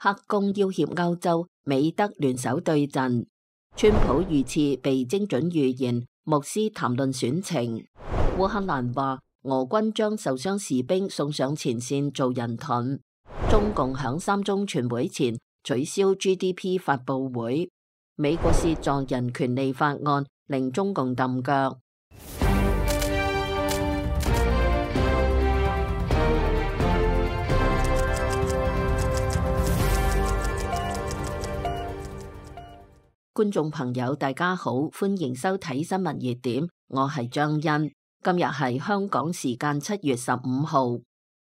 黑宮要挾歐洲，美德聯手對陣。川普遇刺被精準預言，牧師談論選情。烏克蘭話俄軍將受傷士兵送上前線做人盾。中共響3中全會前取消 GDP 發佈會。美國涉助人權利法案令中共揼腳。觀眾朋友大家好，歡迎收睇新聞熱點，我係張欣。今日係香港時間7月15號。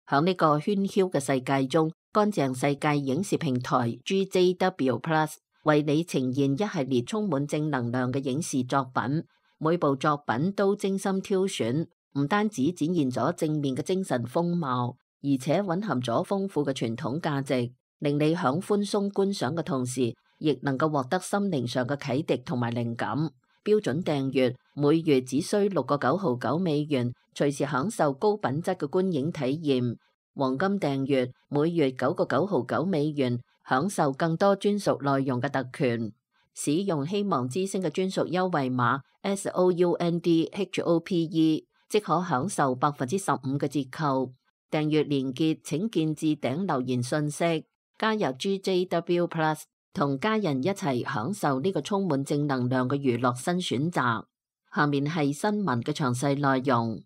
響呢個喧囂嘅世界中，乾淨世界影視平台 GJW Plus 為你呈現一系列充滿正能量嘅影視作品。每部作品都精心挑選，唔單止展現咗正面嘅精神風貌，而且蘊含咗豐富嘅傳統價值，令你響寬鬆觀賞嘅同時，亦能夠獲得心靈上嘅啟迪同埋靈感。標準訂閱每月只需$6.99，隨時享受高品質嘅觀影體驗。黃金訂閱每月$9.99，享受更多專屬內容嘅特權。使用希望之星嘅專屬優惠碼 SOUNDHOPE， 即可享受15%嘅折扣。訂閱連結請見置頂留言信息。加入 GJW Plus。同家人一齊享受呢個充滿正能量嘅娛樂新選擇。下面係新聞嘅詳細內容。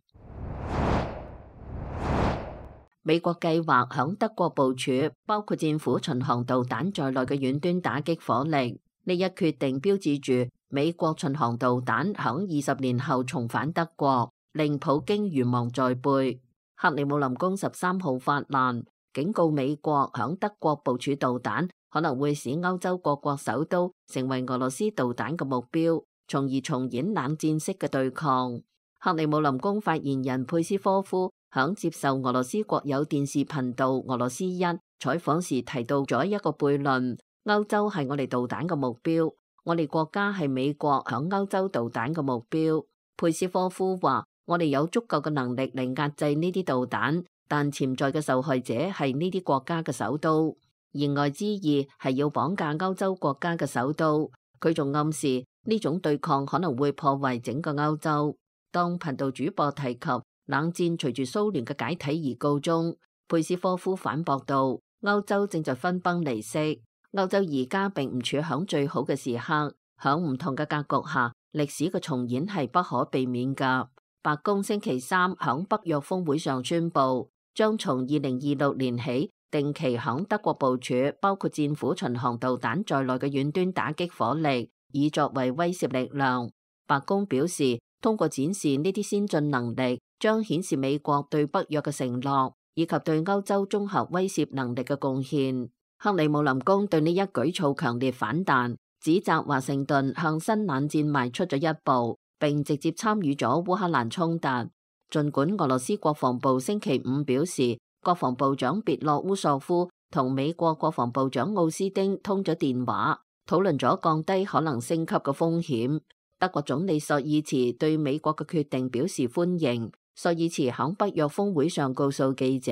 美國計劃響德國部署包括戰斧巡航導彈在內嘅遠端打擊火力。呢一決定標誌住美國巡航導彈響20年後重返德國，令普京如芒在背。克里姆林宮13號發難，警告美國響德國部署導彈可能會使歐洲各國首都成為俄羅斯導彈嘅目標，從而重演冷戰式嘅對抗。克里姆林宮發言人佩斯科夫響接受俄羅斯國有電視頻道俄羅斯1採訪時提到咗一個悖論：歐洲係我哋導彈嘅目標，我哋國家係美國響歐洲導彈嘅目標。佩斯科夫話：我哋有足夠嘅能力嚟壓制呢啲導彈，但潛在嘅受害者係呢啲國家嘅首都。言外之意係要綁架歐洲國家嘅首都。佢仲暗示呢種對抗可能會破壞整個歐洲。當頻道主播提及冷戰隨住蘇聯嘅解體而告終，佩斯科夫反駁道：歐洲正在分崩離析，歐洲而家並唔處響最好嘅時刻，響唔同嘅格局下，歷史嘅重演係不可避免㗎。白宮星期三響北約峰會上宣布，將從2026年起定期響德國部署包括戰斧巡航導彈在內嘅遠端打擊火力，以作為威懾力量。白宮表示，通過展示呢啲先進能力，將顯示美國對北約嘅承諾，以及對歐洲綜合威懾能力嘅貢獻。克里姆林宮對呢一舉措強烈反彈，指責華盛頓向新冷戰邁出咗一步，並直接參與咗烏克蘭衝突。儘管俄羅斯國防部星期五表示，國防部長別洛烏索夫同美國國防部長奧斯丁通咗電話，討論咗降低可能升級嘅風險。德國總理朔爾茨對美國嘅決定表示歡迎。朔爾茨喺北約峰會上告訴記者，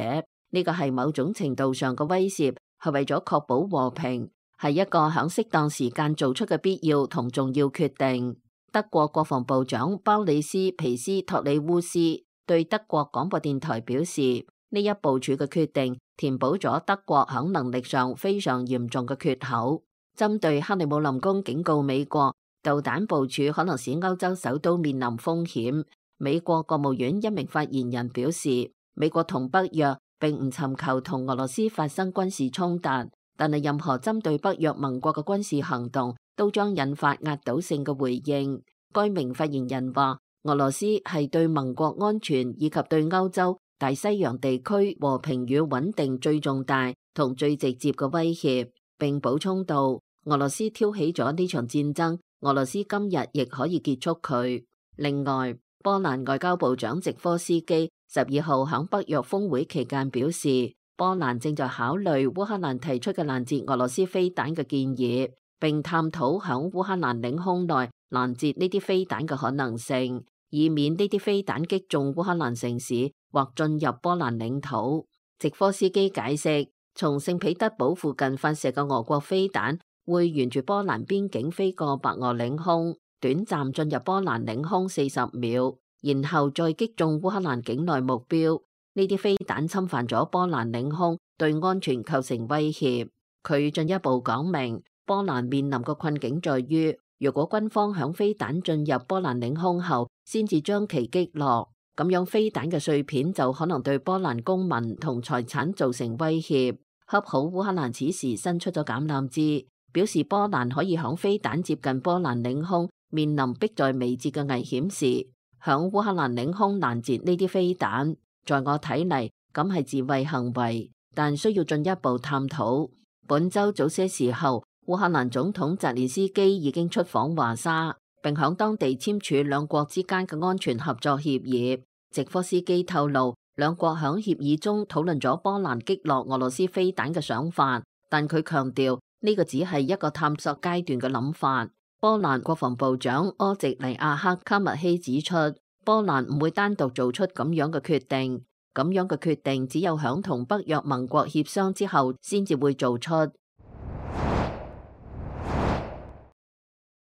呢個係某種程度上嘅威懾，係為咗確保和平，係一個喺適當時間做出嘅必要同重要決定。德國國防部長鮑里斯皮斯托里烏斯對德國廣播電台表示，呢一部署嘅決定填補咗德國喺能力上非常嚴重嘅缺口。針對克里姆林宮警告美國導彈部署可能使歐洲首都面臨風險，美國國務院一名發言人表示，美國同北約並唔尋求同俄羅斯發生軍事衝突，但係任何針對北約盟國嘅軍事行動都將引發壓倒性嘅回應。該名發言人話，俄羅斯係對盟國安全以及對歐洲大西洋地區和平與穩定最重大同最直接嘅威脅，並補充道，俄羅斯挑起咗呢場戰爭，俄羅斯今日亦可以結束佢。另外，波蘭外交部長席科斯基12號喺北約峰會期間表示，波蘭正在考慮烏克蘭提出嘅攔截俄羅斯飛彈嘅建議，並探討喺烏克蘭領空內攔截呢啲飛彈嘅可能性，以免呢啲飛彈擊中烏克蘭城市或進入波蘭領土。席科斯基解釋，從聖彼得堡附近發射嘅俄國飛彈會沿住波蘭邊境飛過白俄領空，短暫進入波蘭領空40秒，然後再擊中烏克蘭境內目標。呢啲飛彈侵犯咗波蘭領空，對安全構成威脅。佢進一步講明，波蘭面臨嘅困境在於，如果軍方響飛彈進入波蘭領空後，先至將其擊落，咁樣飛彈嘅碎片就可能對波蘭公民同財產造成威脅。恰好烏克蘭此時伸出咗橄欖枝，表示波蘭可以響飛彈接近波蘭領空，面臨迫在眉睫嘅危險時，響烏克蘭領空攔截呢啲飛彈。在我睇嚟，咁係自衛行為，但需要進一步探討。本週早些時候，烏克蘭總統澤連斯基已經出訪華沙，並響當地簽署兩國之間嘅安全合作協議。謝科斯基透露，兩國響協議中討論咗波蘭擊落俄羅斯飛彈嘅想法，但佢強調呢個只係一個探索階段嘅諗法。波蘭國防部長柯席尼亞克卡密希指出，波蘭唔會單獨做出咁樣嘅決定，咁樣嘅決定只有響同北約盟國協商之後先至會做出。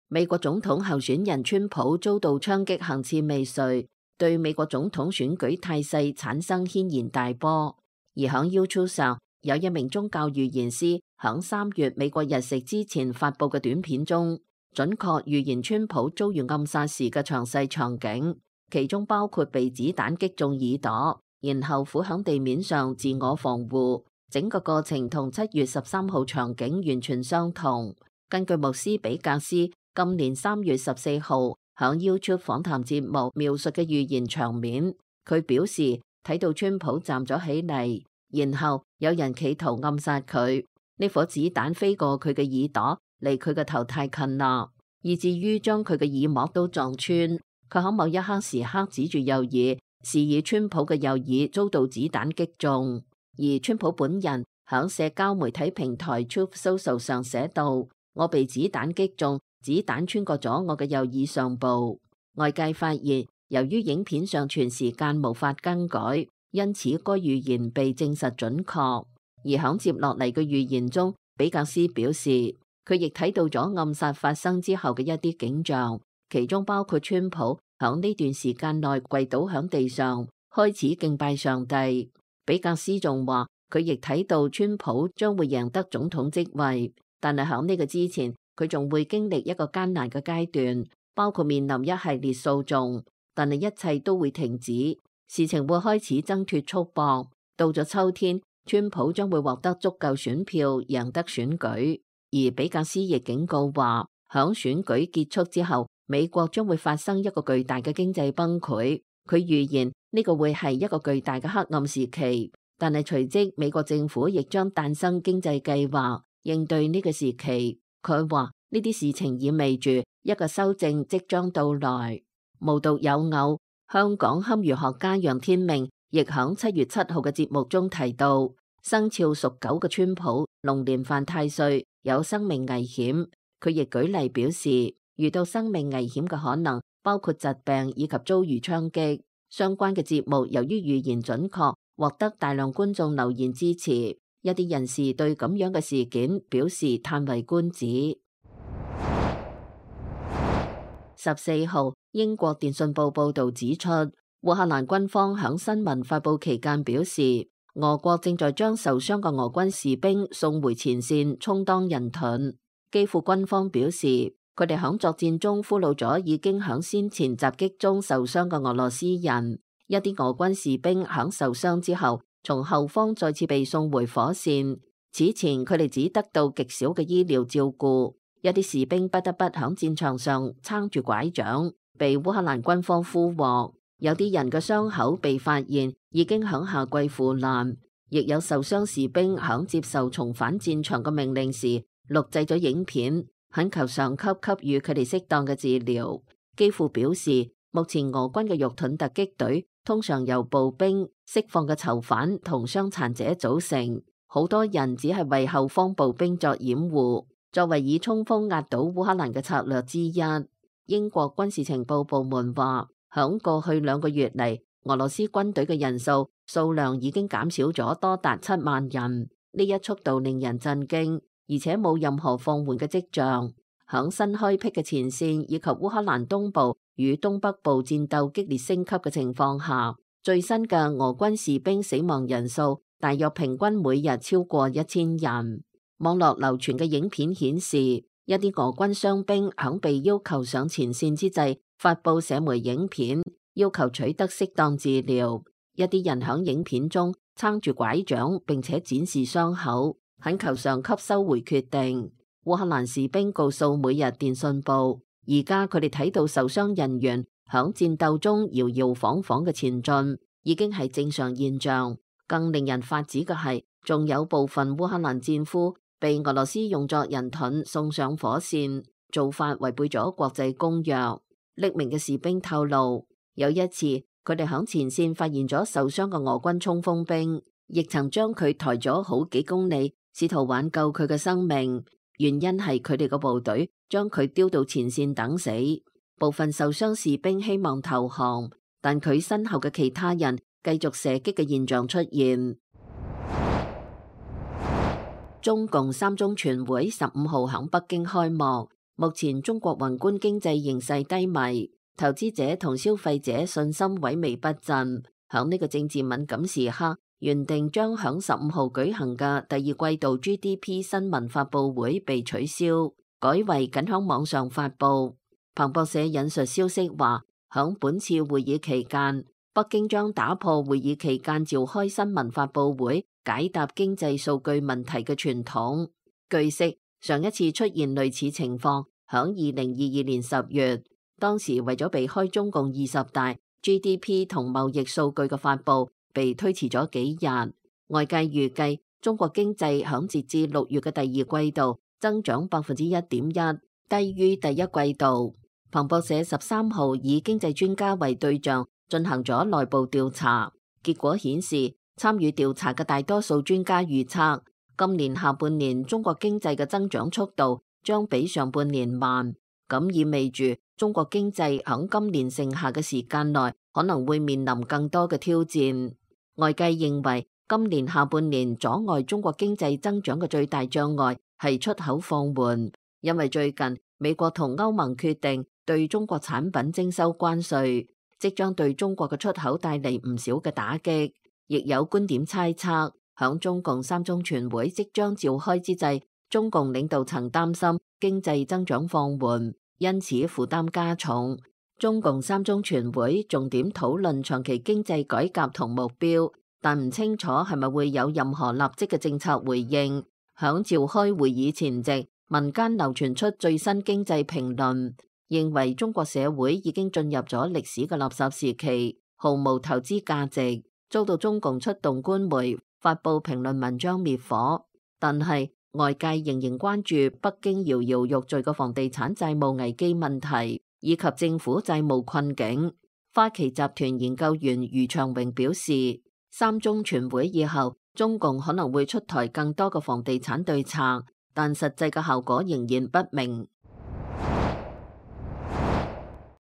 美國總統候選人川普遭到槍擊行刺未遂，對美國總統選舉態勢產生軒然大波。而響 YouTube 上，有一名宗教預言師響3月美國日食之前發佈嘅短片中，準確預言川普遭遇暗殺時嘅詳細場景。其中包括被子彈擊中耳朵，然後俯響地面上自我防護，整個過程同7月13號場景完全相同。根據牧師比格斯今年3月14號響 YouTube 訪談節目描述嘅預言場面，佢表示睇到川普站咗起嚟，然後有人企圖暗殺佢，呢顆子彈飛過佢嘅耳朵，離佢嘅頭太近啦，以至於將佢嘅耳膜都撞穿。佢喺某一刻時刻指住右耳，示意川普嘅右耳遭到子彈擊中。而川普本人喺社交媒體平台 Truth Social 上寫道：我被子彈擊中，子彈穿過咗我嘅右耳上部。外界發現，由於影片上傳時間無法更改，因此該預言被證實準確。而喺接落嚟嘅預言中，比格斯表示，佢亦睇到咗暗殺發生之後嘅一啲景象。其中包括川普響呢段時間內跪倒響地上，開始敬拜上帝。比格斯仲話，佢亦睇到川普將會贏得總統職位，但係響呢個之前，佢仲會經歷一個艱難嘅階段，包括面臨一系列訴訟，但係一切都會停止，事情會開始掙脫束縛。到咗秋天，川普將會獲得足夠選票，贏得選舉。而比格斯亦警告話，響選舉結束之後，美國將會發生一個巨大嘅經濟崩潰，佢預言呢個會係一個巨大嘅黑暗時期，但係隨即美國政府亦將誕生經濟計劃應對呢個時期。佢話呢啲事情意味住一個修正即將到來。無獨有偶，香港堪輿學家楊天命亦響7月7號嘅節目中提到，生肖屬狗嘅川普龍年犯太歲，有生命危險。佢亦舉例表示，遇到生命危險嘅可能包括疾病以及遭遇槍擊。相關嘅節目由於預言準確，獲得大量觀眾留言支持。一啲人士對咁樣嘅事件表示嘆為觀止。14號，英國電訊報報導指出，烏克蘭軍方響新聞發佈期間表示，俄國正在將受傷嘅俄軍士兵送回前線，充當人盾。基輔軍方表示，佢哋響作戰中俘虜咗已經響先前襲擊中受傷嘅俄羅斯人。一啲俄軍士兵響受傷之後，從後方再次被送回火線。此前佢哋只得到極少嘅醫療照顧，一啲士兵不得不響戰場上撐住拐杖，被烏克蘭軍方俘獲。有啲人嘅傷口被發現已經響夏季腐爛，亦有受傷士兵響接受重返戰場嘅命令時，錄製咗影片，懇求上級給予佢哋適當嘅治療。基輔表示，目前俄軍嘅肉盾突擊隊通常由步兵、釋放嘅囚犯同傷殘者組成，好多人只係為後方步兵作掩護，作為以衝鋒壓倒烏克蘭嘅策略之一。英國軍事情報部門話，響過去2個月嚟，俄羅斯軍隊嘅人數量已經減少咗多達7萬人。呢一速度令人震驚，而且冇任何放緩嘅跡象。響新開闢嘅前線以及烏克蘭東部與東北部戰鬥激烈升級嘅情況下，最新嘅俄軍士兵死亡人數大約平均每日超過1000人。網絡流傳嘅影片顯示，一啲俄軍傷兵響被要求上前線之際，發佈社媒影片，要求取得適當治療。一啲人響影片中撐住拐杖，並且展示傷口，懇求上級收回決定。烏克蘭士兵告訴每日電訊報，而家佢哋睇到受傷人員響戰鬥中搖搖晃晃嘅前進，已經係正常現象。更令人發指嘅係，仲有部分烏克蘭戰俘被俄羅斯用作人盾送上火線，做法違背咗國際公約。匿名嘅士兵透露，有一次佢哋響前線發現咗受傷嘅俄軍衝鋒兵，亦曾將佢抬咗好幾公里，試圖挽救佢嘅生命。原因係佢哋個部隊將佢丟到前線等死。部分受傷士兵希望投降，但佢身後嘅其他人繼續射擊嘅現象出現。中共三中全會15號喺北京開幕。目前中國宏觀經濟形勢低迷，投資者同消費者信心萎靡不振。響呢個政治敏感時刻，原定將響15號舉行嘅第二季度 GDP 新聞發佈會被取消，改為僅響網上發佈。彭博社引述消息話，響本次會議期間，北京將打破會議期間召開新聞發佈會解答經濟數據問題嘅傳統。據悉，上一次出現類似情況，響2022年10月，當時為咗避開中共20大 GDP 同貿易數據嘅發佈，被推遲咗幾日。外界預計中國經濟響截至6月嘅第二季度增長1.1%，低於第一季度。彭博社13號以經濟專家為對象進行咗內部調查，結果顯示，參與調查嘅大多數專家預測，今年下半年中國經濟嘅增長速度將比上半年慢，咁意味住中國經濟響今年剩下嘅時間內可能會面臨更多嘅挑戰。外界認為，今年下半年阻礙中國經濟增長嘅最大障礙係出口放緩，因為最近美國同歐盟決定對中國產品徵收關稅，即將對中國嘅出口帶嚟唔少嘅打擊。亦有觀點猜測，響中共三中全會即將召開之際，中共領導層擔心經濟增長放緩，因此負擔加重。中共三中全會重點討論長期經濟改革同目標，但唔清楚係咪會有任何立即嘅政策回應。響召開會議前夕，民間流傳出最新經濟評論，認為中國社會已經進入咗歷史嘅垃圾時期，毫無投資價值，遭到中共出動官媒發佈評論文章滅火。但係外界仍然關注北京搖搖欲墜嘅房地產債務危機問題，以及政府債務困境。花旗集團研究員余長榮表示，三中全會以後，中共可能會出台更多嘅房地產對策，但實際嘅效果仍然不明。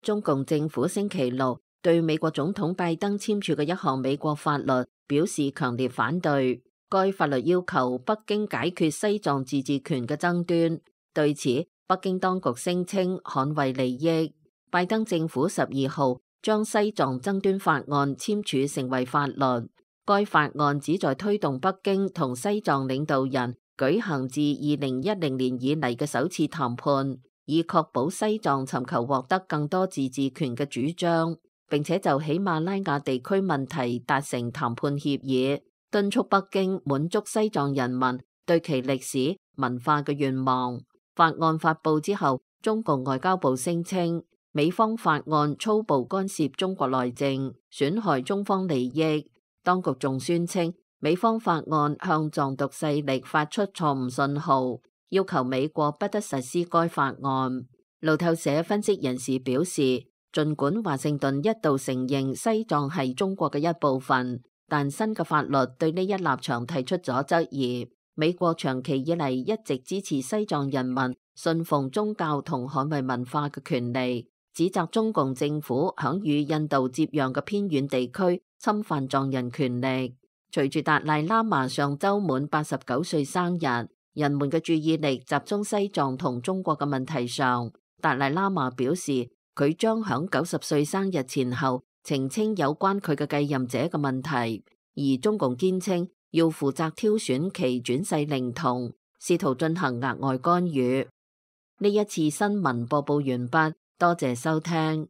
中共政府星期六對美國總統拜登簽署嘅一項美國法律表示強烈反對。該法律要求北京解決西藏自治權嘅爭端。對此，北京當局聲稱捍衛利益。拜登政府12號將西藏爭端法案簽署成為法律。該法案旨在推動北京同西藏領導人舉行自2010年以嚟嘅首次談判，以確保西藏尋求獲得更多自治權嘅主張，並且就喜馬拉雅地區問題達成談判協議，敦促北京滿足西藏人民對其歷史文化嘅願望。法案發布之後，中共外交部聲稱美方法案粗暴干涉中國內政，損害中方利益。當局仲宣稱美方法案向藏獨勢力發出錯誤信號，要求美國不得實施該法案。路透社分析人士表示，儘管華盛頓一度承認西藏係中國嘅一部分，但新嘅法律對呢一立場提出咗質疑。美國長期以嚟一直支持西藏人民信奉宗教同捍衛文化嘅權利，指責中共政府響與印度接壤嘅偏遠地區侵犯藏人權利。隨住達賴喇嘛上週滿89歲生日，人們嘅注意力集中西藏同中國嘅問題上。達賴喇嘛表示，佢將響90歲生日前後澄清有關佢嘅繼任者嘅問題，而中共堅稱要負責挑選其轉世靈童，試圖進行額外干預。呢一次新聞播報完畢，多謝收聽。